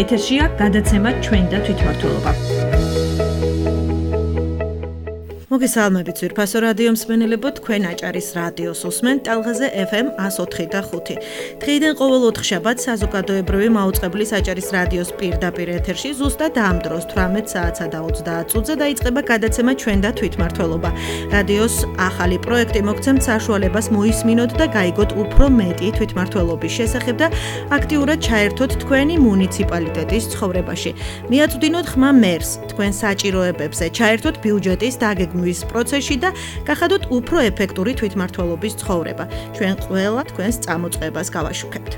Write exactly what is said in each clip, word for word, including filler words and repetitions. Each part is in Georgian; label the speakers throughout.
Speaker 1: ეთერშია გადაცემა ჩვენ და თვითმმართველობა. მოგესალმებით ძვირფასო რადიო მსმენელებო, თქვენ აჭარის რადიოს უსმენთ ტალღაზე ეფ ემ one oh three და five. დღეიდან ყოველ ოთხშაბათს საზოგადოებრივი მაუწყებლის აჭარის რადიოს პირდაპირ ეთერში ზუსტად ამ დროს თვრამეტ საათსა და ოცდაათ წუთზე დაიწყება გადაცემა ჩვენ და თვითმმართველობა. რადიოს ახალი პროექტი მოგცემთ საშუალებას მოისმინოთ და გაიგოთ უფრო მეტი თვითმმართველობის შესახებ და აქტიურად ჩაერთოთ თქვენი მუნიციპალიტეტის ცხოვრებაში. მიაწვდინოთ ხმა მერს თქვენ საჭიროებებზე, ჩაერთოთ ბიუჯეტის დაგეგმვის პროცესში და გახადოთ უფრო ეფექტური თვითმმართველობის ცხოვრება. ჩვენ ყველა თქვენს წამოწყებას გავაშუქებთ.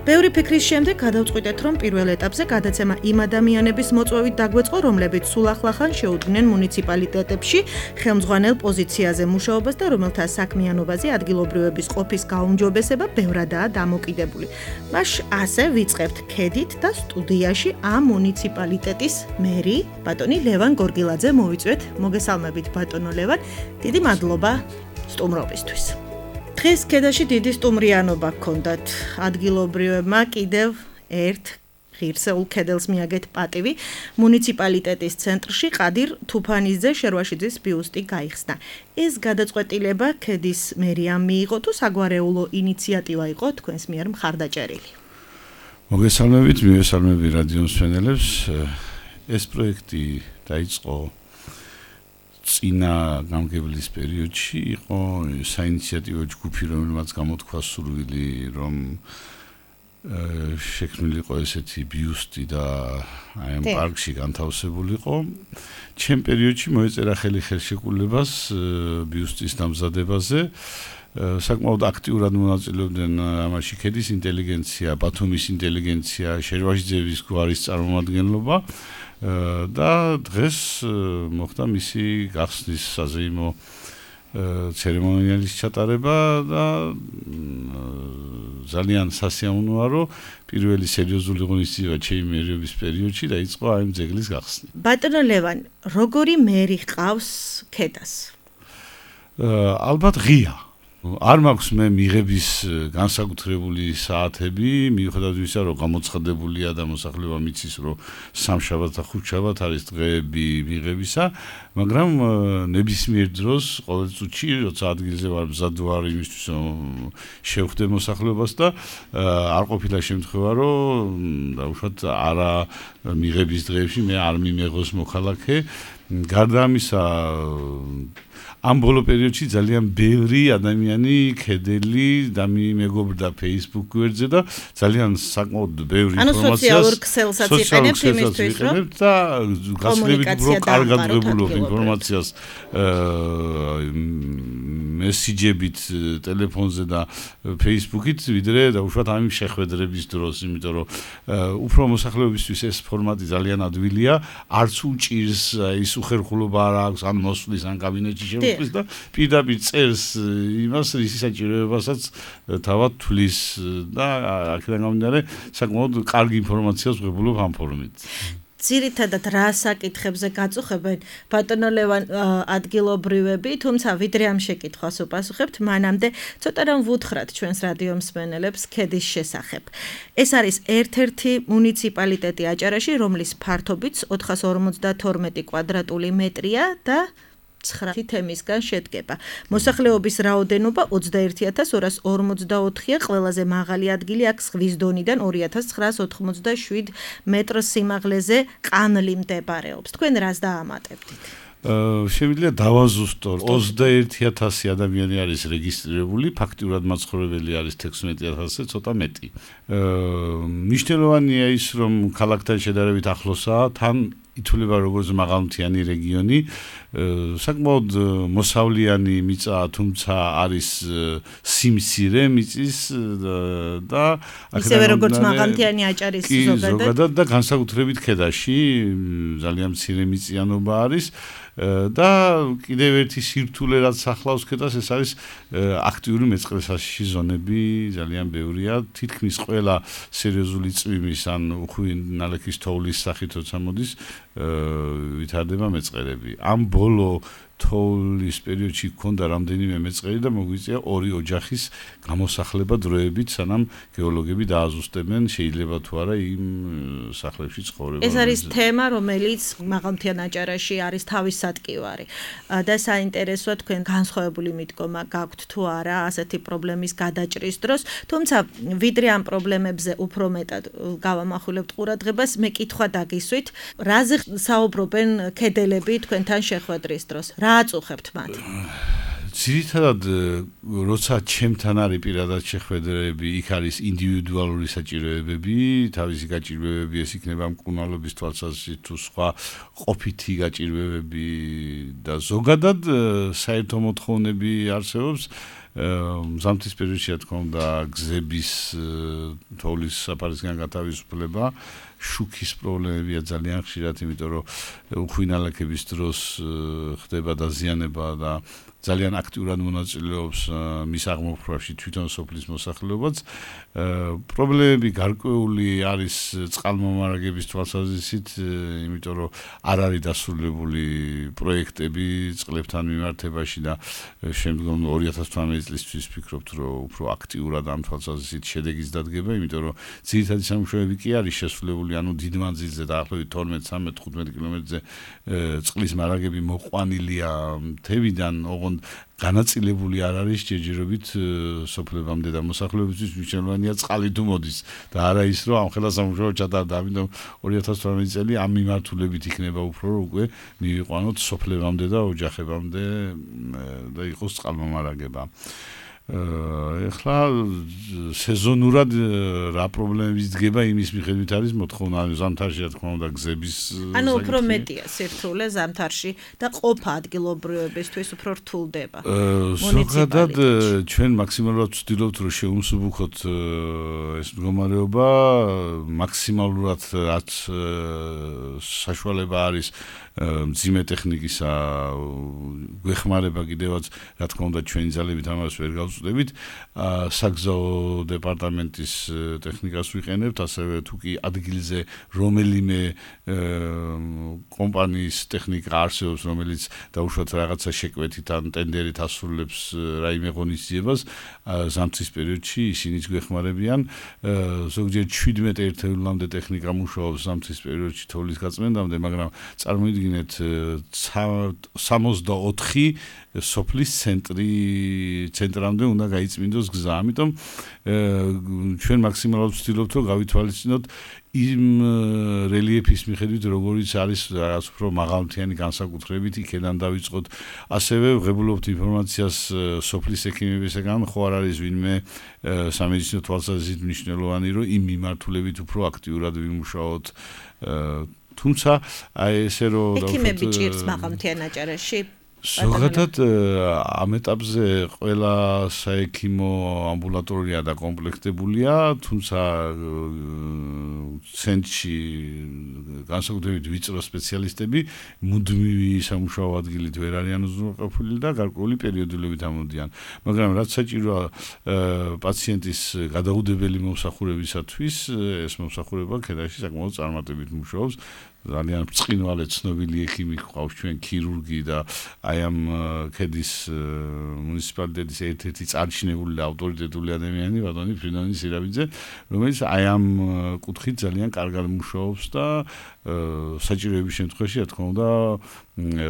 Speaker 1: ბევრი ფიქრის შემდეგ გადავწყვიტეთ, რომ პირველ ეტაპზე გადაცემა იმ ადამიანების მოწვევით დაგვეწყო, რომლებიც სულ ახლახან შეუდგნენ მუნიციპალიტეტებში ხელმძღვანელ პოზიციაზე მუშაობას და რომელთა საქმიანობაზე ადგილობრივების ყოფის გაუმჯობესება ბევრადაა დამოკიდებული. მას ასე ვიწყებთ ქედით და სტუდიაში ამ მუნიციპალიტეტის მერი, ბატონი ლევან გორგილაძე მოვიწვევთ. მოგესალმებით ბატონო ლევან, დიდი მადლობა სტუმრობისთვის. დღეს ქედაში დიდი სტუმრიანობა გქონდათ. ადგილობრივებმა კიდევ ერთ ღირსეულ ქედელს მიაგეთ პატივი. მუნიციპალიტეტის ცენტრში ყადիր თუფანიძე შერვაშიძის ბიუსტი გაიხსნა. ეს გადაწყვეტილება ქედის მერიამ მიიღო თუ საგვარეულო ინიციატივა იყო თქვენს მიერ მხარდაჭერილი?
Speaker 2: მოგესალმებით, მივესალმები რადიო მსმენელებს. ეს პროექტი დაიწყო წინა გამგებლის პერიოდში, იყო საინიციატივო ჯგუფი, რომელმაც გამოთქვა სურვილი, რომ შექმნილიყო ესეთი ბიუსტი და აი ამ პარკში განთავსებულიყო. ჩემ პერიოდში მოეწერა ხელი ხელშეკრულებას ბიუსტის დამზადებაზე. საკმაოდ აქტიურად მონაწილეობდნენ ამაში ქედის ინტელიგენცია, ბათუმის ინტელიგენცია, შერვაშიძეების გვარის წარმომადგენლობა და დღეს მოხდა მისი გახსნის საზეიმო ცერემონიალის ჩატარება და ძალიან სასიამოვნოა, რომ პირველი სერიოზული ღონისძიება ჩემი მერიობის პერიოდში დაიწყო აი ამ ძეგლის გახსნა.
Speaker 1: ბატონო ლევან, როგორი მერი ყავს ქედას?
Speaker 2: ალბათ ღია. არ მაქვს მე მიღების განსაკუთრებული საათები, მიუხედავად იმისა, რომ გამოცხადებულია და მოსახლეობა მიცის, რომ სამშაბათ და ხუთშაბათ არის დღეები მიღებისა, მაგრამ ნებისმიერ დროს ყოველ წუთში, როცა ადგილზე ვარ მზად ვარ იმისთვის, რომ შევხვდე მოსახლეობას და არ ყოფილა შემთხვევა, რომ დაუშვათ არა მიღების დღეებში მე არ მიმეღოს მოქალაქე. გარდა ამისა, ამ ბოლო პერიოდში ძალიან ბევრი ადამიანი ქედელი და მეგობრდა Facebook გვერდზე და ძალიან საკმაოდ ბევრი ინფორმაციას
Speaker 1: სოციალურ ქსელსაც იყენებთ იმისთვის, რომ
Speaker 2: და გასვლებით უფრო კარგად ვებულობ ინფორმაციას მესიჯებით ტელეფონზე და Facebook-ით, ვიდრე დაუშვათ ამ შეხვედრების დროს, იმიტომ რომ უფრო მოსახლეობისთვის ეს ფორმატი ძალიან ადვილია, არც უჭირს ის უხერხულობა არ აქვს ან მოსვლის ან კაბინეტში შემოხლის და პირდაპირ წერს იმას, რის საჭიროებასაც თავად თვლის და აქედან გამომდინარე საკმაოდ კარგი ინფორმაციას ვღებულობ ამ ფორუმით.
Speaker 1: ძირითადად რა საკითხებზე გაწუხებენ ბატონო ლევან ადგილობრივები, თუმცა ვიდრე ამ შეკითხვას უპასუხებთ, მანამდე ცოტა რამ ვუთხრათ ჩვენს რადიო მსმენელებს ქედის შესახებ. ეს არის ერთ-ერთი მუნიციპალიტეტი აჭარაში, რომლის ფართობიც ოთხას ორმოცდათორმეტი კვადრატული მეტრია და ცხრა თემისგან შედგება. მოსახლეობის რაოდენობა ოცდაერთი ათას ორას ორმოცდაოთხია, ყველაზე მაღალი ადგილი აქ ზღვის დონიდან ორი ათას ცხრაას ოთხმოცდაშვიდ მეტრ სიმაღლეზე ყანლი მდებარეობს. თქვენ რას დაამატებდით?
Speaker 2: Შემიძლია დავაზუსტო, ოცდაერთი ათასი ადამიანი არის რეგისტრირებული, ფაქტიურად მაცხოვრებელი არის თექვსმეტი ათასზე ცოტა მეტი. მნიშვნელოვანია ის, რომ ქალაქთან შედარებით ახლოსაა, თან ითვლება როგორც მაღალმთიანი რეგიონი, საკმაოდ მოსავლიანი მიწა, თუმცა არის სიმცირე მიწის და
Speaker 1: ისევე როგორც მაღალმთიანი აჭარის
Speaker 2: ზოგადად და განსაკუთრებით ქედაში ძალიან მცირე მიწიანობა არის. და კიდევ ერთი სირთულე რაც ახლავს ქედას, ეს არის აქტიური მეწყრესაში ზონები ძალიან ბევრია. თითქმის ყველა სერიოზული წვიმის ან უხვი ნალექის თოვლის სახით როცა მოდის, ვითარდება მეწყერები. ამ ბოლო თოვლის პერიოდში გქონდა რამდენიმე მეწყერი და მოგვიწია ორი ოჯახის გამოსახლება დროებით, სანამ გეოლოგები დააზუსტებენ შეიძლება თუ არა იმ სახლებში ცხოვრება.
Speaker 1: ეს არის თემა, რომელიც მაღალმთიან აჭარაში არის თავის სატკივარი. და საინტერესოა თქვენ განსხვავებული მიდგომა გაქვთ თუ არა ასეთი პრობლემის გადაჭრის დროს, თუმცა ვიდრე ამ პრობლემებზე უფრო მეტად გავამახვილებთ ყურადღებას, მე კითხვა დაგისვით, რაზე საუბრობენ ქედელები თქვენთან შეხვედრის დროს? რა აწუხებთ მათ?
Speaker 2: ძირითადად როცა ჩემთან არის პირადად შეხვედრები, იქ არის ინდივიდუალური საჭიროებები, თავისი გაჭირვებები, ეს იქნება მკურნალობის თვალსაზრისით თუ სხვა ყოფითი გაჭირვებები და ზოგადად საერთო მოთხოვნები არსებობს. ზამთრის პერიოდში რა თქმა უნდა გზების თოვლის საფარისგან გათავისუფლება, შუქის პრობლემებია ძალიან ხშირად, იმიტომ რომ უხვინალექების დროს ხდება დაზიანება და ძალიან აქტიურად მონაწილეობს მის აღმოფხვრაში თვითონ სოფლის მოსახლეობაც. პრობლემები გარკვეული არის წყალმომარაგების თვალსაზრისით, იმიტომ რომ არ არის დასრულებული პროექტები წყლებთან მიმართებაში და შემდგომ ორი ათას თვრამეტი წლისთვის ვფიქრობთ, რომ უფრო აქტიურად ამ თვალსაზრისით შედეგის დადგება, იმიტომ რომ ძირითადი სამუშაოები კი არის შესრულებული, ანუ დიდ მანძილზე დაახლოებით თორმეტ, ცხრამეტ, თხუთმეტ კილომეტრზე წყლის მარაგები მოყვანილია მთებიდან, ოღონდ განაწილებული არ არის ჯერჯერობით სოფლებამდე და მოსახლეობისთვის მნიშვნელოვანია წყალი თუ მოდის და არა ის რომ ამ ხელა სამუშაო ჩატარდა, ამიტომ ორი ათას თორმეტი წელი ამ მიმართულებით იქნება უფრო რომ უკვე მივიყვანოთ სოფლებამდე და ოჯახებამდე და იყოს წყალმომარაგება. ეხლა სეზონურად რა პრობლემების დგება იმის მიხედვით არის მოთხოვნა ზამთარში რა თქმა უნდა გზების
Speaker 1: ანუ უფრო მეტია სირთულე ზამთარში და ყოფა ადგილობრივებისთვის უფრო რთულდება.
Speaker 2: ზოგადად ჩვენ მაქსიმალურად ვცდილობთ რომ შევუმსუბუქოთ ეს მდგომარეობა, მაქსიმალურად რაც საშუალება არის მძიმე ტექნიკისა გვეხმარება კიდევაც რა თქმა უნდა ჩვენი ძალებით ამას ვერ გავწვდებით. საგზაო დეპარტამენტის ტექნიკას ვიყენებთ, ასევე თუ კი ადგილზე რომელიმე კომპანიის ტექნიკა არსებობს, რომელიც დაუშვათ რაღაცა შეკვეთით ან ტენდერით ასრულებს რაიმე ღონისძიებას, ზამთრის პერიოდში ისინიც გვეხმარებიან. ზოგჯერ შვიდმეტ ერთეულამდე ტექნიკა მუშაობს ზამთრის პერიოდში თოვლის გაწმენდამდე, მაგრამ წარმოიდგინეთ სამოცდაოთხი სოფლის ცენტრი ცენტრამდე უნდა გაიწმინდოს გზა. ამიტომ ჩვენ მაქსიმალურად ვცდილობთ რომ გავითვალისწინოთ იმ რელიეფის მიხედვით როგორიც არის რაღაც უფრო მაღალმთიანი განსაკუთრებით იქიდან დავიწყოთ. ასევე ვღებულობთ ინფორმაციას სოფლის ექიმებისგან, ხო არ არის ვინმე სამედიცინო თვალსაზრისით მნიშვნელოვანი რომ იმ მიმართულებით უფრო აქტიურად ვიმუშაოთ. თუმცა აი ესე რომ
Speaker 1: ექიმები ჭირს მაღალმთიან აჭარაში?
Speaker 2: ზოგადად ამ ეტაპზე ყველა საექიმო ამბულატორია დაკომპლექტებულია, თუმცა ცენტრში განსაკუთრებით ვიწრო სპეციალისტები მუდმივი სამუშაო ადგილით ვერ არიან უზრუნველყოფილი და გარკვეული პერიოდულობით ამოდიან. მაგრამ რაც საჭიროა პაციენტის გადაუდებელი მომსახურებისათვის, ეს მომსახურება ქედაში საკმაოდ წარმატებით მუშაობს. ძალიან ბრწყინვალე ცნობილი ექიმი ყავს ჩვენ ქირურგი და აი ამ ქედის მუნიციპალიტეტის ერთ-ერთი წარჩინებული და ავტორიტეტული ადამიანი ბატონი ფრინონი სირაბიძე, რომელიც აი ამ კუთხით ძალიან კარგად მუშაობს და საჭიროების შემთხვევაში რა თქმა უნდა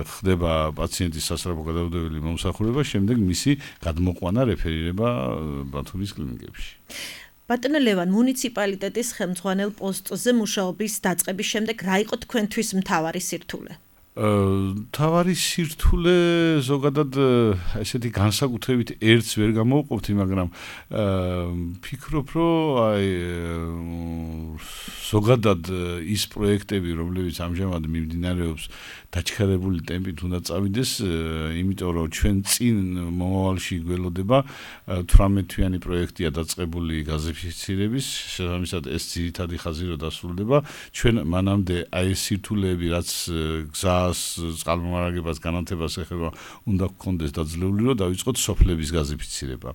Speaker 2: ხდება პაციენტის სასწრაფო გადაუდებელი მომსახურება, შემდეგ მისი გადმოყვანა რეფერირება ბათუმის კლინიკებში.
Speaker 1: ბატონო ლევან, მუნიციპალიტეტის ხელმძღვანელ პოსტზე მუშაობის დაწყების შემდეგ რა იყო თქვენთვის მთავარი სირთულე?
Speaker 2: მთავარი სირთულე ზოგადად ესეთი განსაკუთრებით ერთს ვერ გამოვყოფთი, მაგრამ ფიქრობ, რომ აი ზოგადად ის პროექტები, რომლებიც ამჟამად მიმდინარეობს, დაჩქარებული ტემპით უნდა წავიდეს, იმიტომ რომ ჩვენ წინ მომავალში გველოდება თვრამეტ თვიანი პროექტია დაწყებული გაზიფიცირების, შესაბამისად ეს ძირითადი ხაზი რო დასრულდება, ჩვენ მანამდე აი ეს სირთულეები, რაც გზას, წყალმომარაგებას, განათებას ეხება, უნდა გქონდეს დაძლეული, რომ დავიწყოთ სოფლების გაზიფიცირება.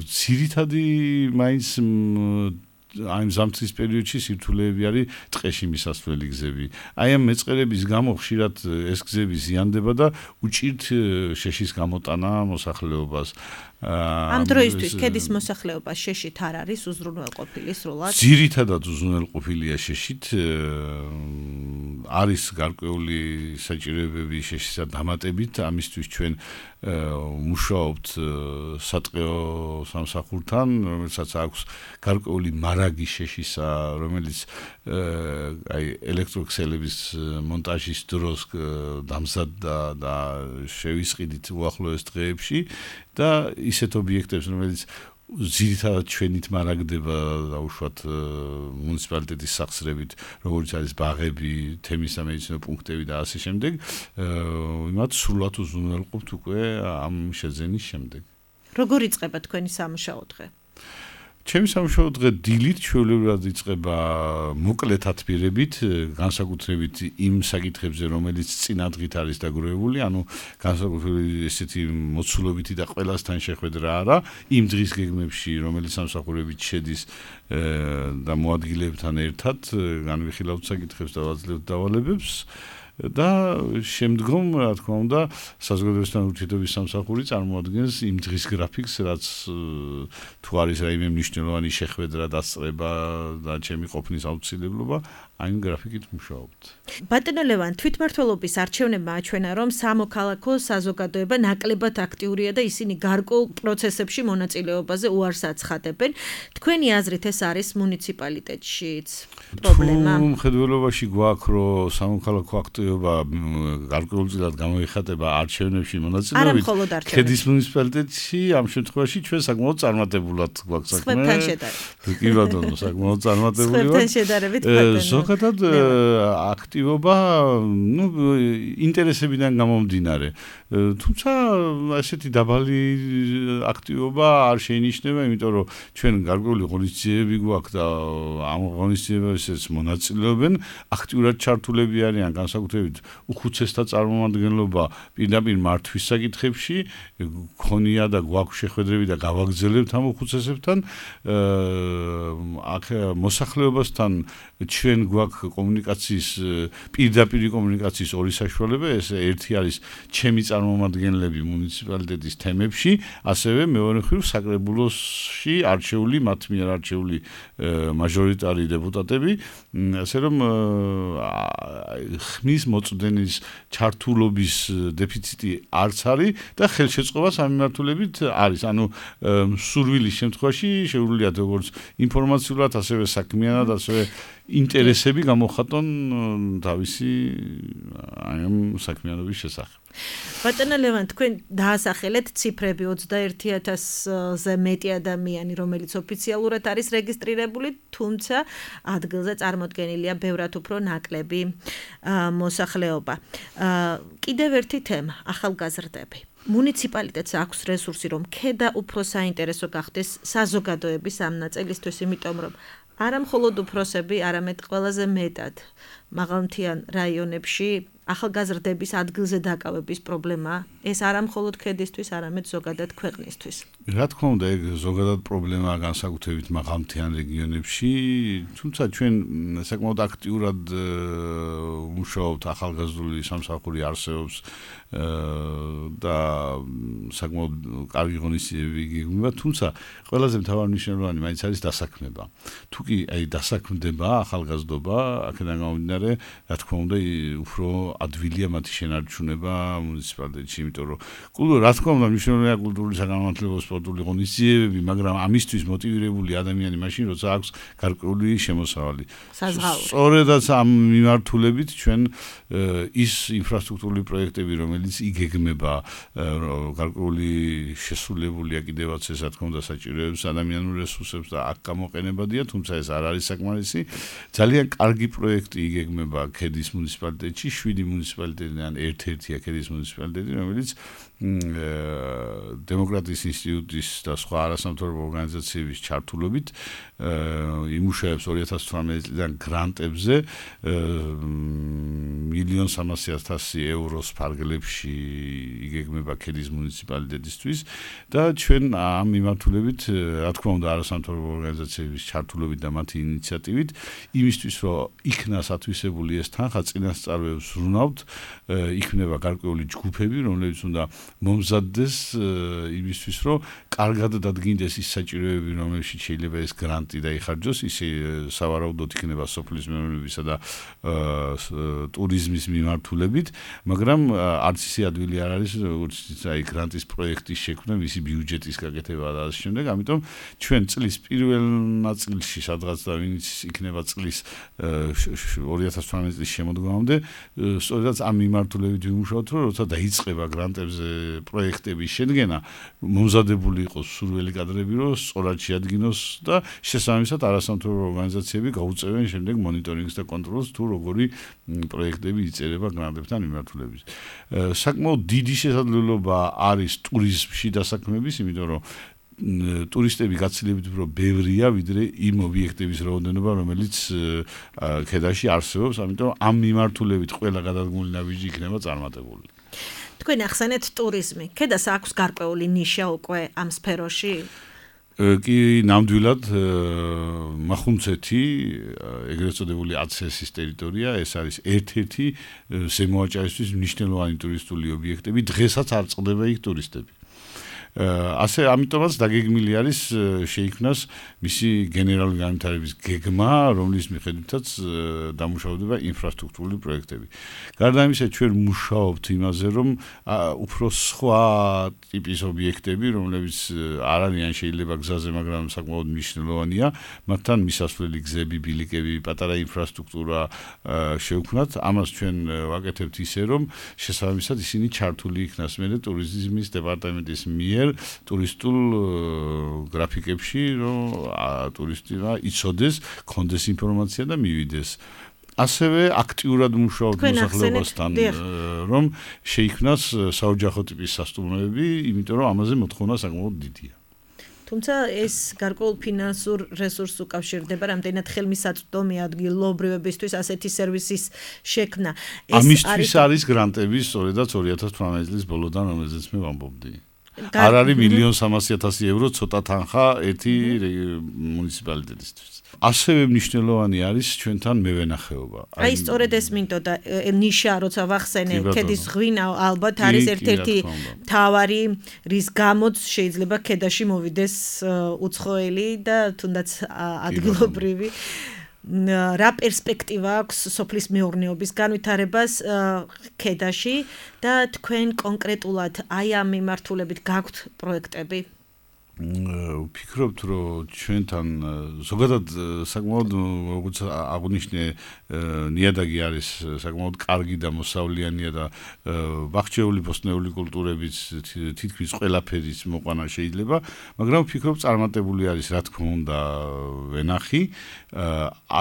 Speaker 2: ძირითადი მაინც აი ზამთრის პერიოდში სირთულეები არის ტყეში მისასვლელი გზები. აი ამ მეწყერების გამო ხშირად ეს გზები ზიანდება და უჭირთ შეშის გამოტანა მოსახლეობას.
Speaker 1: ამ დროისთვის ქედის მოსახლეობა შეშით არ არის უზრუნველყოფილი სრულად?
Speaker 2: ძირითადად უზრუნველყოფილია შეშით. არის გარკვეული საჭიროებები შეშისა დამატებით, ამისთვის ჩვენ მუშაობთ სატყეო სამსახურთან, რომელსაც აქვს გარკვეული მარაგი შეშისა, რომელიც აი ელექტროქსელების მონტაჟის დროს დამზადდა და შევისყიდით უახლოეს დღეებში და ისეთ ობიექტებს, რომელიც ძირითადად ჩვენით მარაგდება დაუშვათ მუნიციპალიტეტის სახსრებით, როგორც არის ბაღები, თემის სამედიცინო პუნქტები და ასე შემდეგ, იმათ სრულად უზრუნველყოფთ უკვე ამ შეძენის შემდეგ.
Speaker 1: როგორ იწყება თქვენი სამუშაო დღე?
Speaker 2: ჩემი სამუშაო დღე დილით ჩვეულებრივად იწყება მოკლე თათბირებით, განსაკუთრებით იმ საკითხებზე, რომელიც წინა დღით არის დაგროვებული, ანუ განსაკუთრებით ესეთი მოცულობითი და ყველასთან შეხვედრა არა, იმ დღის გეგმებში, რომელიც სამსახურებით შედის და მოადგილებთან ერთად განვიხილავთ საკითხებს და ვაძლევთ დავალებებს. და შემდგომ, რა თქმა უნდა, საზოგადოებასთან ურთიერთობის სამსახური წარმოადგენს იმ დღის გრაფიკს, რაც თუ არის რაიმე მნიშვნელოვანი შეხვედრა, დასწრება და ჩემი ყოფნის აუცილებლობა, აი ამ გრაფიკით მუშაობთ.
Speaker 1: ბატონო ლევან, თვითმმართველობის არჩევნებმა აჩვენა, რომ სამოქალაქო საზოგადოება ნაკლებად აქტიურია და ისინი გარკვეულ პროცესებში მონაწილეობაზე უარს აცხადებენ. თქვენი აზრით ეს არის მუნიციპალიტეტშიც პრობლემა?
Speaker 2: თუ მხედველობაში გვაქვს, რომ სამოქალაქო აქტივობა გარკვეულწილად გამოიხატება არჩევნებში მონაწილეობით, ქედის მუნიციპალიტეტში ამ შემთხვევაში ჩვენ საკმაოდ წარმატებულად გვაქვს საქმე.
Speaker 1: სხვებთან შედარებით.
Speaker 2: კი ბატონო, საკმაოდ წარმატებული ვართ.
Speaker 1: სხვებთან შედარებით ბატონო.
Speaker 2: ზოგადად აქტივობა, ну, ინტერესებიდან გამომდინარე. თუმცა ასეთი დაბალი აქტივობა არ შეინიშნება, იმიტომ რომ ჩვენ გარკვეული ღონისძიებები გვაქვს და ამ ღონისძიებებშიც მონაწილეობენ, აქტიურად ჩართულები არიან განსაკუთრებით უხუცესთა წარმომადგენლობა პირდაპირ მართვის საკითხებში, გქონია და გვაქვს შეხვედრები და გავაგრძელებთ ამ უხუცესებთან. აქ მოსახლეობასთან ჩვენ გვაქვს კომუნიკაციის, პირდაპირ კომუნიკაციის ორი საშუალება, ეს ერთი არის ჩემი წარმომადგენლები მუნიციპალიტეტის თემებში, ასევე მეორე მხრივ საკრებულოში არჩეული, მათ მიერ არჩეული მაჟორიტარი დეპუტატები, ასე რომ ხმის მოწვდენის ჩართულობის დეფიციტი არც არის და ხელშეწყობა სამმართველობით არის. ანუ სურვილის შემთხვევაში შეუძლიათ როგორც ინფორმაციულად, ასევე საქმიანად, ასევე ინტერესები გამოხატონ თავისი აი ამ საქმიანობის შესახებ.
Speaker 1: ბატონო ლევან, თქვენ დაასახელეთ ციფრები ოცდაერთი ათასზე მეტი ადამიანი, რომელიც ოფიციალურად არის რეგისტრირებული, თუმცა ადგილზე წარმოდგენილია ბევრად უფრო ნაკლები მოსახლეობა. კიდევ ერთი თემა, ახალგაზრდები. მუნიციპალიტეტს აქვს რესურსი, რომ ქედა უფრო საინტერესო გახდეს საზოგადოების ამ ნაწილისთვის, იმიტომ რომ არა მხოლოდ უფროსები, არამედ ყველაზე მეტად მაღალმთიან რაიონებში ახალგაზრდების ადგილზე დაკავების პრობლემა, ეს არა მხოლოდ ქედისთვის, არამედ ზოგადად ქვეყნისთვის.
Speaker 2: რა თქმა უნდა, ეგ ზოგადად პრობლემაა განსაკუთრებით მაღალმთიან რეგიონებში, თუმცა ჩვენ საკმაოდ აქტიურად მუშაობთ, ახალგაზრდული სამსახური არსებობს და საკმაოდ კარგი ღონისძიებები გეგმება, თუმცა ყველაზე მთავარი მნიშვნელოვანი მაინც არის დასაქმება. თუ კი აი დასაქმდება ახალგაზრდობა, აქედან გამომდინარე, რა თქმა უნდა, უფრო ადვილია მათი შენარჩუნება მუნიციპალიტეტში, იმიტომ რომ კულტურა, რა თქმა უნდა, მნიშვნელოვანია კულტურული საგანმანათლებლო სპორტული ღონისძიებები, მაგრამ ამისთვის მოტივირებული ადამიანი მაშინ, როცა აქვს გარკვეული შემოსავალი. სწორედაც ამ მიმართულებით ჩვენ ის ინფრასტრუქტურული პროექტები, რომელიც იგეგმება გარკვეული შესრულებულია კიდევაც ეს, რა თქმა უნდა, საჭიროებს ადამიანურ რესურსებს და აქ გამოყენებადია, თუმცა ეს არ არის საკმარისი. ძალიან კარგი პროექტი იგეგმება ქედის მუნიციპალიტეტში, შვიდი მუნიციპალიტეტიდან ერთ-ერთია ქედის მუნიციპალიტეტი, რომელიც დემოკრატიის ინსტიტუტი ინსტიტუტის და სხვა არასამთავრობო ორგანიზაციების ჩართულობით იმუშავებს ორი ათას თვრამეტი წლიდან გრანტებზე მილიონ სამასი ათასი ევროს ფარგლებში იგეგმება ქედის მუნიციპალიტეტისთვის და ჩვენ ამ მიმართულებით რა თქმა უნდა არასამთავრობო ორგანიზაციების ჩართულობით და მათი ინიციატივით იმისთვის რომ იქნა სათვისებული ეს თანხა წინასწარვებს ვზრუნავთ იქნება გარკვეული ჯგუფები რომლებიც უნდა მომზადდეს იმისთვის რომ კარგად დადგინდეს ის საჭიროებები რომელშიც შეიძლება ეს გრანტი დაიხარჯოს ისე სავარაუდოდ იქნება სოფლის მეურნეობისა და ტურიზმის მიმართულებით მაგრამ არც ისე ადვილი არ არის როგორც აი გრანტის პროექტის შექმნა მისი ბიუჯეტის გაკეთება და ამ შემდეგ ამიტომ ჩვენ წლის პირველ ნაწილში სადღაც და ვინც იქნება წლის ორი ათას თვრამეტი წლის შემოდგომამდე სწორედ ამ მიმართულებით ვიმუშავოთ რომ როცა დაიწყება გრანტებზე პროექტების შედგენა მომზადებული იყოს სურველი კადრები რომ სწორად შეადგინოს და შესაბამისად არასამთავრობო ორგანიზაციები გაუწევენ შემდეგ მონიტორინგს და კონტროლს თუ როგორი პროექტები იწერება გრანტებთან მიმართულებით საკმაოდ დიდი შესაძლებლობა არის ტურიზმში დასაქმების იმიტომ რომ ტურისტები გაცილებით უფრო ბევრია ვიდრე იმ ობიექტების რაოდენობა რომელიც ქედაში არსებობს ამიტომ ამ მიმართულებით ყველა გადადგმული ნაბიჯი იქნება წარმატებული
Speaker 1: თქვენ ახსენეთ ტურიზმი ქედას აქვს გარკვეული ნიშა უკვე ამ სფეროში
Speaker 2: კი ნამდვილად მახუნცეთი ეგრეთ წოდებული აცესის ტერიტორია ეს არის ერთ-ერთი ზემოაჭარისთვის მნიშვნელოვანი ტურისტული ობიექტები დღესაც არ წყდება იქ ტურისტები ასე ამიტომაც დაგეგმილი არის შეიქმნას მისი გენერალური განვითარების გეგმა, რომლის მიხედვითაც დამუშავდება ინფრასტრუქტურული პროექტები. გარდა ამისა, ჩვენ მუშაობთ იმაზე, რომ უფრო სხვა ტიპის ობიექტები, რომლებიც არ არიან შეიძლება გზაზე, მაგრამ საკმაოდ მნიშვნელოვანია, მათთან მისასვლელი გზები, ბილიკები, პატარა ინფრასტრუქტურა შევქმნათ. ამას ჩვენ ვაკეთებთ ისე, რომ შესაბამისად ისინი ჩართული იქნას მერე ტურიზმის დეპარტამენტის მიერ ტურისტულ გრაფიკებში, რომ ტურისტმა იცოდეს, კონდეს ინფორმაცია და მივიდეს. ასევე აქტიურად მუშაობთ მოსახლეობასთან, რომ შეიქმნას საოჯახო ტიპის სასტუმროები, იმიტომ რომ ამაზე მოთხოვნა საკმაოდ დიდია.
Speaker 1: თუმცა ეს გარკვეულ ფინანსურ რესურსს უკავშირდება, რამდენად ხელმისაწვდომი ადგილობრივებისთვის ასეთი სერვისის შექმნა.
Speaker 2: ამისთვის არის გრანტები, სწორედაც ორი ათას თვრამეტი წლის ბოლოდან, რომელზეც მე ვამბობდი. არ არის მილიონ სამასი ათასი евро ცოტა თანხა ერთი მუნიციპალიტეტისთვის. ასევე მნიშვნელოვანი არის ჩვენთან მევენახეობა.
Speaker 1: აი სწორედ ეს მინდოდა ნიშა, როცა ვახსენე, ქედის ღვინა ალბათ არის ერთ-ერთი მთავარი, რის გამოც შეიძლება ქედაში მოვიდეს უცხოელი და თუნდაც ადგილობრივი რა პერსპექტივა აქვს სოფლის მეურნეობის განვითარებას ქედაში და თქვენ კონკრეტულად აი ამ მიმართულებით გაქვთ პროექტები?
Speaker 2: ვფიქრობთ, რომ ჩვენთან ზოგადად საკმაოდ როგორც აღნიშნე ნიადაგი არის საკმაოდ კარგი და მოსავლიანია და ბაღჩეული ბოსტნეული კულტურების თითქმის ყველაფერის მოყვანა შეიძლება, მაგრამ ვფიქრობ წარმატებული არის რა თქმა უნდა ვენახი,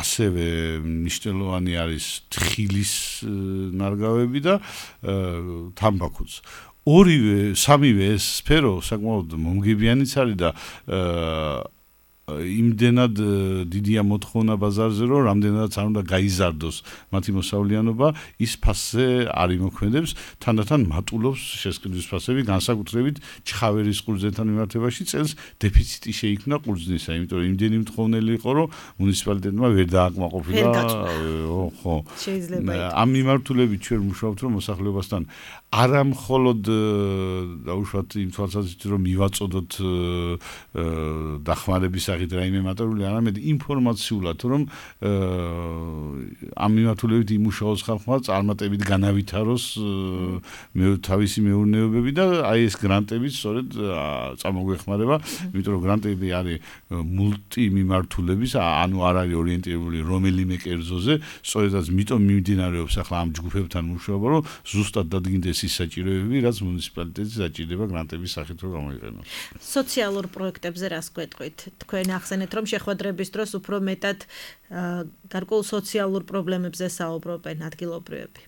Speaker 2: ასევე მნიშვნელოვანი არის თხილის ნარგავები და თამბაქოც. ორივე, სამივე ეს სფერო საკმაოდ მომგებიანიც არის და იმდენად დიდია მოთხოვნა ბაზარზე, რომ რამდენადაც არ უნდა გაიზარდოს მათი მოსავლიანობა, ის ფასზე არ იმოქმედებს, თანდათან მატულობს შესყიდვის ფასები, განსაკუთრებით ჩხავერის ყურძნთან მიმართებაში წელს დეფიციტი შეიქმნა ყურძნისა, იმიტომ რომ იმდენი მთხოვნელი იყო, რომ მუნიციპალიტეტმა ვერ დააკმაყოფილა. ხო. ამ მიმართულებით ჩვენ მუშაობთ, რომ მოსახლეობასთან არა მხოლოდ დაუშვათ იმ თვალსაზრისით, რომ მივაწოდოთ დახმარების სახით რაიმე მატერიული, არამედ ინფორმაციულად, რომ ამ მიმართულებით იმუშაოს ხალხმა წარმატებით განავითაროს თავისი მეურნეობები და აი ეს გრანტები სწორედ წამოგვეხმარება, იმიტომ რომ გრანტები არის მულტი მიმართულების, ანუ არ არის ორიენტირებული რომელიმე კერძოზე, სწორედაც მიტომ მიმდინარეობს ახლა ამ ჯგუფებთან მუშაობა, რომ ზუსტად დადგინდეს ის საჭიროებები, რაც მუნიციპალიტეტს საჭიროება გრანტების სახით რომ გამოიყენოს.
Speaker 1: სოციალურ პროექტებზე რას გვეტყვით? თქვენ ახსენეთ, რომ შეხვედრების დროს უფრო მეტად გარკვეულ სოციალურ პრობლემებზე საუბრობენ ადგილობრივები.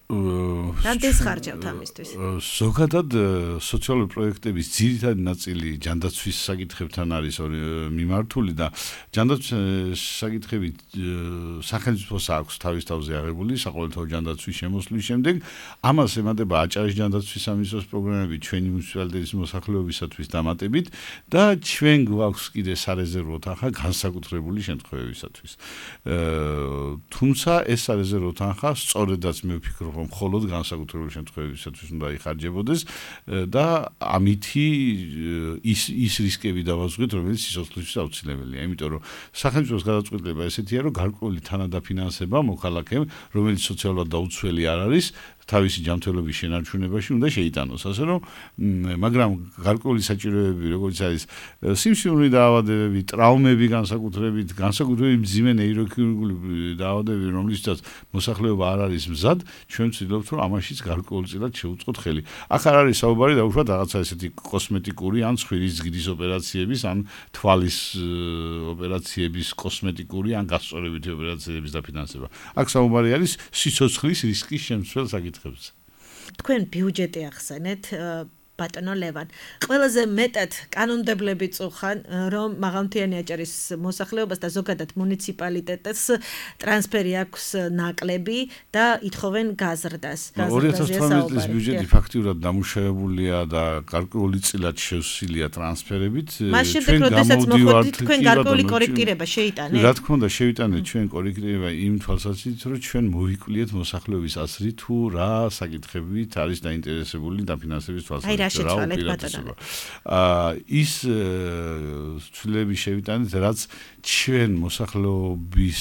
Speaker 1: რამდენს ხარჯავთ ამისთვის?
Speaker 2: ზოგადად სოციალური პროექტების ძირითადი ნაწილი ჯანდაცვის საკითხებთან არის მიმართული და ჯანდაცვის საკითხები სახელმწიფოს აქვს თავის თავზე აღებული საყოველთაო ჯანდაცვის შემოსვლის შემდეგ. ამას ემატება აჭარის ჯანდაცვის სამინისტროს პროგრამები ჩვენი მუნიციპალიტეტის მოსახლეობისათვის დამატებით და ჩვენ გვაქვს კიდე სარეზერვო თანხა განსაკუთრებული შემთხვევებისათვის. თუმცა ეს სარეზერვო თანხა სწორედაც მე ვფიქრობ, რომ მხოლოდ განსაკუთრებული შემთხვევებისათვის უნდა იხარჯებოდეს და ამითი ის ის რისკები დავაზღვით, რომელიც სიცოცხლისთვის აუცილებელია. იმიტომ რომ სახელმწიფოს გადაწყვეტილება ესეთია, რომ გარკვეული თანადაფინანსება მოქალაქემ, რომელიც სოციალურად დაუცველი არ არის, თავისი ჯანმრთელობის შენარჩუნებაში უნდა შეიტანოს. ასე რომ, მაგრამ გარკვეული საჭიროებები, როგორც არის სიმსივნური დაავადებები, ტრავმები განსაკუთრებით, განსაკუთრებით მძიმე ნეიროქირურგიული დაავადებები, რომლისთვისაც მოსახლეობა არ არის მზად, ჩვენ ვცდილობთ, რომ ამაშიც გარკვეულწილად შევუწყოთ ხელი. აქ არ არის საუბარი დაუშვათ რაღაცა ესეთი კოსმეტიკური ან ცხვირის ზრდის ოპერაციების, ან თვალის ოპერაციების კოსმეტიკური ან გასწორებითი ოპერაციების დაფინანსება. აქ საუბარი არის სიცოცხლის რისკის შემცველ საკითხებზე.
Speaker 1: თქვენ ბიუჯეტი ახსენეთ, ბატონო ლევან. ყველაზე მეტად კანონმდებლები წუხან, რომ მაღალმთიანი აჭარის მოსახლეობას და ზოგადად მუნიციპალიტეტს ტრანსფერი აქვს ნაკლები და ითხოვენ გაზრდას.
Speaker 2: ორი ათას თორმეტი წლის ბიუჯეტი ფაქტიურად დამუშავებულია და გარკვეული წილად შევსილია ტრანსფერებით.
Speaker 1: მას შემდეგ, როდესაც მოხდით, თქვენ გარკვეული კორექტირება შეიტანეთ?
Speaker 2: რა თქმა უნდა, შევიტანეთ ჩვენ კორექტირება იმ თვალსაზრისით, რომ ჩვენ მოვიკვლიეთ მოსახლეობის აზრი თუ რა საკითხებით არის დაინტერესებული დაფინანსების თვალსაზრისით. აა ის ცვლილების შევიტანეთ, რაც ჩვენ მოსახლეობის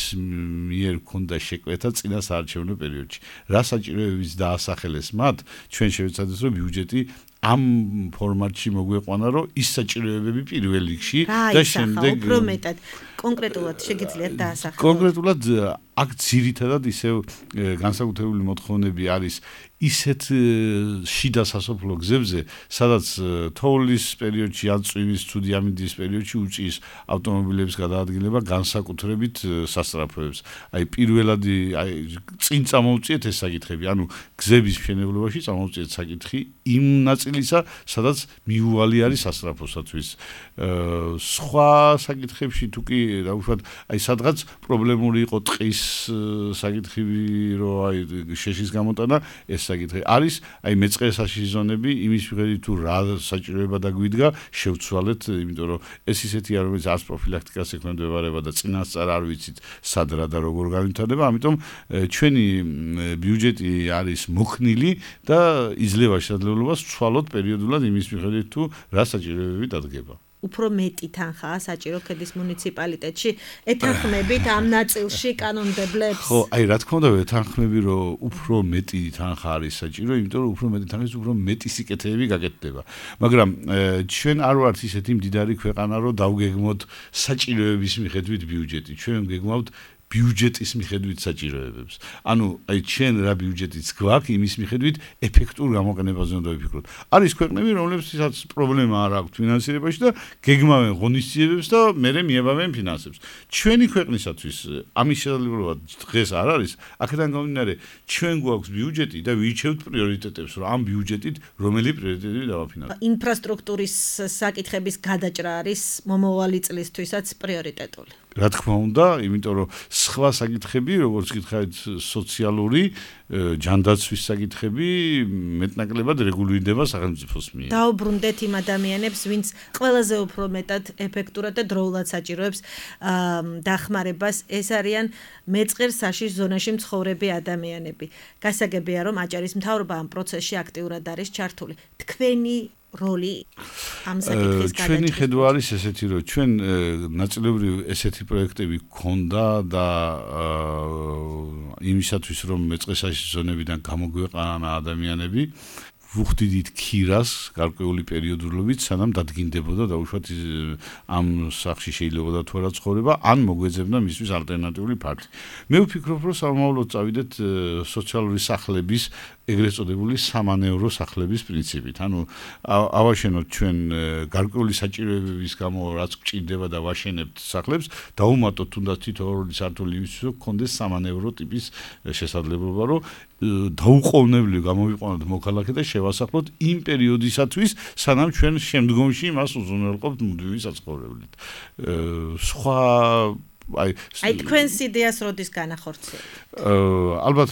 Speaker 2: მიერ ქონდა შეკვეთა წინა საარჩევნო პერიოდში. რა საჭიროებიც დაასახელეს მათ, ჩვენ შევეცადეთ, რომ ბიუჯეტი ამ ფორმატში მოგვეყვანა, რომ ის საჭიროებები პირველ რიგში და შემდეგ
Speaker 1: უფრო მეტად კონკრეტულად შეგიძლიათ დაასახელოთ.
Speaker 2: კონკრეტულად აქ ძირითადად ისევ განსაკუთრებული მოთხოვნები არის ისეთ შიდა სასოფლო გზებზე, სადაც თოვლის პერიოდში ან წვიმის თუ დიამინდის პერიოდში უწიის ავტომობილების გადაადგილება განსაკუთრებით სასწრაფოებს. აი პირველად აი წინ წამოვწიეთ ეს საკითხები, ანუ გზების მშენებლობაში წამოვწიეთ საკითხი იმ ნაწილისა, სადაც მიუვალი არის სასწრაფოსათვის. სხვა საკითხებში თუ კი დაუშვათ, აი სადღაც პრობლემური იყო ტყის საკითხი, რომ აი შეშის გამოტანა, ეს საკითხი არის, აი მეწყერსაში ზონები, იმის მიხედვით თუ რა საჭიროება დაგვიდგა, შევცვალეთ, იმიტომ რომ ეს ისეთია, რომელიც არც პროფილაქტიკას ექვემდებარება და წინასწარ არ ვიცით სად რა და როგორ განვითარდება, ამიტომ ჩვენი ბიუჯეტი არის მოხნილი და იძლევა შესაძლებლობას ვცვალოთ პერიოდულად იმის მიხედვით თუ რა საჭიროებები დადგება.
Speaker 1: უფრო მეტი თანხაა საჭირო ქედის მუნიციპალიტეტში, ეთანხმებით ამ ნაწილში კანონმდებლებს?
Speaker 2: ხო, აი რა თქმა უნდა, ეთანხმები, რომ უფრო მეტი თანხა არის საჭირო, იმიტომ რომ უფრო მეტი თანხის უფრო მეტი სიკეთეები გაკეთდება. მაგრამ ჩვენ არ ვართ ისეთი მდიდარი ქვეყანა, რომ დავგეგმოთ საჭიროების მიხედვით ბიუჯეტი. ჩვენ გეგმავთ ბიუჯეტის მიხედვით საჭიროებებს. ანუ აი ჩვენ რა ბიუჯეტიც გვაქვს, იმის მიხედვით ეფექტურ გამოყენებაზე უნდა ვიფიქროთ. არის ქვეყნები, რომლებსაც პრობლემა არ აქვს ფინანსირებაში და გეგმავენ ღონისძიებებს და მერე მიებავენ ფინანსებს. ჩვენი ქვეყნისათვის ამის შესაძლებლობა დღეს არ არის. აქედან გამომდინარე, ჩვენ გვაქვს ბიუჯეტი და ვირჩევთ პრიორიტეტებს, რომ ამ ბიუჯეტით რომელი პრიორიტეტები დავაფინანსებთ.
Speaker 1: ინფრასტრუქტურის საკითხების გადაჭრა არის მომავალი წლისთვისაც პრიორიტეტული.
Speaker 2: რა თქმა უნდა, იმიტომ რომ სხვა საკითხები, როგორც გითხარით, სოციალური ჯანდაცვის საკითხები მეტნაკლებად რეგულირდება სახელმწიფოს მიერ.
Speaker 1: დაუბრუნდეთ იმ ადამიანებს, ვინც ყველაზე უფრო მეტად ეფექტურად და დროულად საჭიროებს დახმარებას, ეს არიან მეწყერსაში ზონაში მცხოვრები ადამიანები. გასაგებია, რომ აჭარის მთავრობა ამ პროცესში აქტიურად არის ჩართული. თქვენი როლი ამ საკითხის გადაჭრაში.
Speaker 2: ჩვენი ხედვა არის ესეთი, რომ ჩვენ ნაწილობრივ ესეთი პროექტები გქონდა და იმისათვის, რომ მეწყერსაში ზონებიდან გამოგვეყანა ადამიანები, ვუხდიდით ქირას გარკვეული პერიოდულობით, სანამ დადგინდებოდა დაუშვათ ამ სახში შეიძლება თუ არა ცხოვრება, ან მოგვეძებნა მისთვის ალტერნატიული ფარდი. მე ვფიქრობ, რომ სამომავლოდ წავიდეთ სოციალური სახლების ეგრეთ წოდებული სამანევრო სახლების პრინციპით. ანუ ავაშენოთ ჩვენ გარკვეული საჭიროებების გამო რაც გვჭირდება და ვაშენებთ სახლებს, დაუმატოთ თუნდაც თითოეული სართული იმისთვის, რომ გქონდეს სამანევრო ტიპის შესაძლებლობა, რომ დაუყოვნებლივ გამოვიყვანოთ მოქალაქე და შევასახლოთ იმ პერიოდისათვის, სანამ ჩვენ შემდგომში მას უზრუნველყოფთ მუდმივი საცხოვრებლით. სხვა აი
Speaker 1: აი თქვენს იდეას როდის განახორციელებთ?
Speaker 2: ალბათ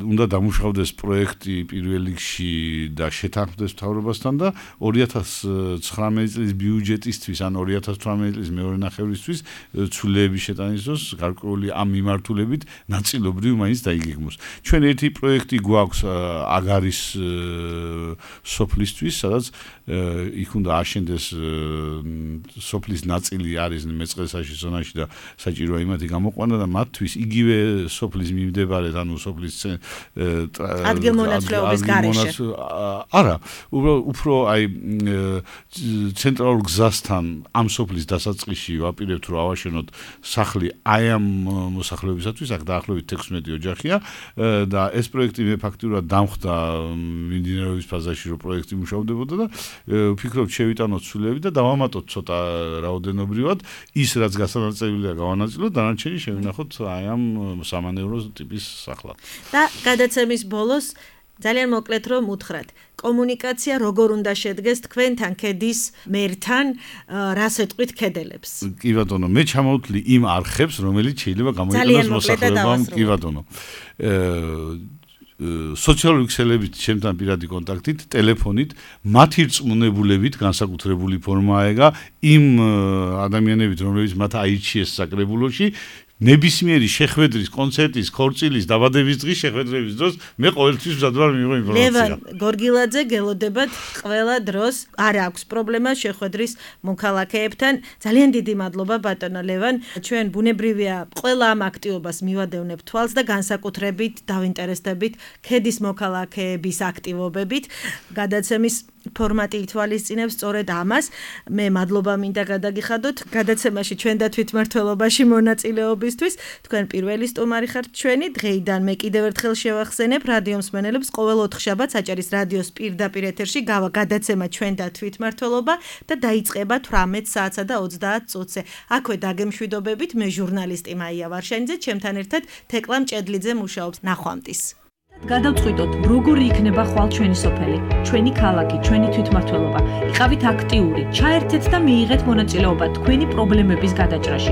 Speaker 2: უნდა დამუშავდეს პროექტი პირველ რიგში და შეთანხმდეს მთავრობასთან და ორი ათას ცხრამეტი წლის ბიუჯეტისთვის ან ორი ათას თვრამეტი წლის მეორე ნახევრისთვის ცვლილების შეტანის დროს გარკვეული ამ მიმართულებით ნაწილობრივ მაინც დაიგეგმოს. ჩვენ ერთი პროექტი გვაქვს აგარის სოფლისთვის, სადაც იქ უნდა აშენდეს სოფლის ნაწილი არის მეწყერსაში ზონაში და საჭიროა იმათი გამოყვანა და მათთვის იგივე სოფლის მიმდებარედ, ანუ სოფლის
Speaker 1: ადგილმონაცვლეობის გარეშე.
Speaker 2: არა, უფრო აი ცენტრალურ გზასთან ამ სოფლის დასაწყისში ვაპირებთ, რომ ავაშენოთ სახლი აი ამ მოსახლეობისათვის, აქ დაახლოებით თექვსმეტი ოჯახია და ეს პროექტი მე ფაქტიურად დამხდა მიმდინარეობის ფაზაში, რომ პროექტი მუშავდებოდა და ვფიქრობ, შევიტანოთ ცვლილები და დავამატოთ ცოტა რაოდენობრივად ის, რაც გასანაწილებლია გავანაწილოთ, დანარჩენი შევინახოთ აი ამ სამანევრო ტიპის სახლად.
Speaker 1: და გადაცემის ბოლოს ძალიან მოკლედ რომ უთხრათ, კომუნიკაცია როგორ უნდა შედგეს თქვენთან ქედის მერთან, რას ეტყვით ქედელებს?
Speaker 2: კი ბატონო, მე ჩამოვთვლი იმ არხებს, რომელიც შეიძლება გამოიყენოს მოსახლეობამ, კი ბატონო. სოციალური ქსელებით, ჩემთან პირადი კონტაქტით, ტელეფონით, მათი რწმუნებულებით განსაკუთრებული ფორმაა ეგა იმ ადამიანებით, რომლებიც მათ აირჩიეს საკრებულოში, ნებისმიერი შეხვედრის, კონცერტის, ქორწილის, დაბადების დღის შეხვედრების დროს მე ყოველთვის მზად ვარ მიიღო ინფორმაცია.
Speaker 1: ლევან გორგილაძე, გელოდებათ ყველა დროს, არ აქვს პრობლემა შეხვედრის მოქალაქეებთან. ძალიან დიდი მადლობა ბატონო ლევან. ჩვენ ბუნებრივია ყველა ამ აქტივობას მივადევნებთ თვალს და განსაკუთრებით დავინტერესდებით ქედის მოქალაქეების აქტივობებით. გადაცემის ფორმატი ითვალისწინებს სწორედ ამას. მე მადლობა მინდა გადაგიხადოთ გადაცემაში ჩვენ და თვითმმართველობაში მონაწილეობისთვის. თქვენ პირველი სტუმარი ხართ ჩვენი. დღეიდან მე კიდევ ერთხელ შევახსენებ რადიო მსმენელებს, ყოველ ოთხშაბათს აჭარის რადიოს პირდაპირ ეთერში გავა გადაცემა ჩვენ და თვითმმართველობა და დაიწყება თვრამეტ საათსა და ოცდაათ წუთზე. აქვე დაგემშვიდობებით, მე ჟურნალისტი მაია ვარშანიძე, ჩემთან ერთად თეკლა მჭედლიძე მუშაობს. ნახვამდის.
Speaker 3: გადავწყვიტოთ, როგორი იქნება ხვალ ჩვენი სოფელი, ჩვენი ქალაქი, ჩვენი თვითმმართველობა. იყავით აქტიური, ჩაერთეთ და მიიღეთ მონაწილეობა თქვენი პრობლემების გადაჭრაში.